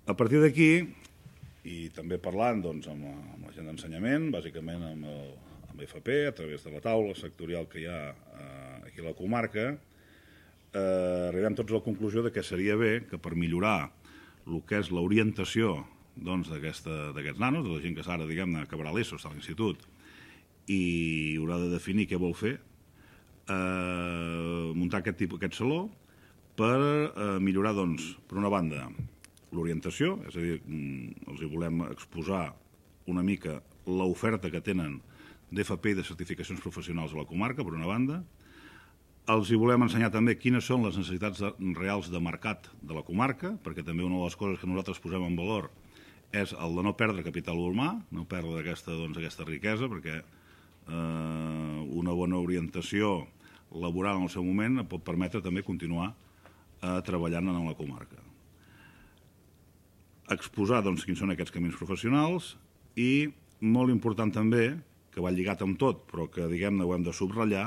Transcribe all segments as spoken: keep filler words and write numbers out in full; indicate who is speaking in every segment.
Speaker 1: A partir d'aquí, i també parlant doncs, amb, la, amb la gent d'ensenyament, bàsicament amb, el, amb F P, a través de la taula sectorial que hi ha eh, aquí a la comarca, eh, arribem tots a la conclusió de que seria bé que per millorar el que és l'orientació doncs, d'aquests nanos, de la gent que ara, diguem-ne, acabarà l'ESO, està a l'institut, i haurà de definir què vol fer, eh, muntar aquest, tipus, aquest saló per eh, millorar, doncs, per una banda, l'orientació, és a dir, els hi volem exposar una mica l'oferta que tenen d'F P i de certificacions professionals a la comarca, per una banda. Els hi volem ensenyar també quines són les necessitats de, reals de mercat de la comarca, perquè també una de les coses que nosaltres posem en valor és el de no perdre capital humà, no perdre aquesta, doncs, aquesta riquesa, perquè eh, una bona orientació laboral en el seu moment pot permetre també continuar eh, treballant en la comarca. Exposar doncs, quins són aquests camins professionals i, molt important també, que va lligat amb tot, però que diguem-ne ho hem de subratllar,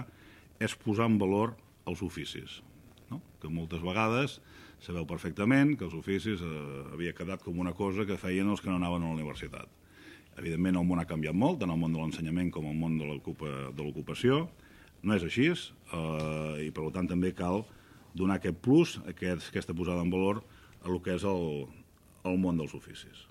Speaker 1: és posar en valor els oficis. No? Que moltes vegades sabeu perfectament que els oficis eh, havia quedat com una cosa que feien els que no anaven a la universitat. Evidentment el món ha canviat molt, tant el món de l'ensenyament com el món de l'ocupació. No és així eh, i per tant també cal donar aquest plus, aquest, aquesta posada en valor a el que és el, el món dels oficis.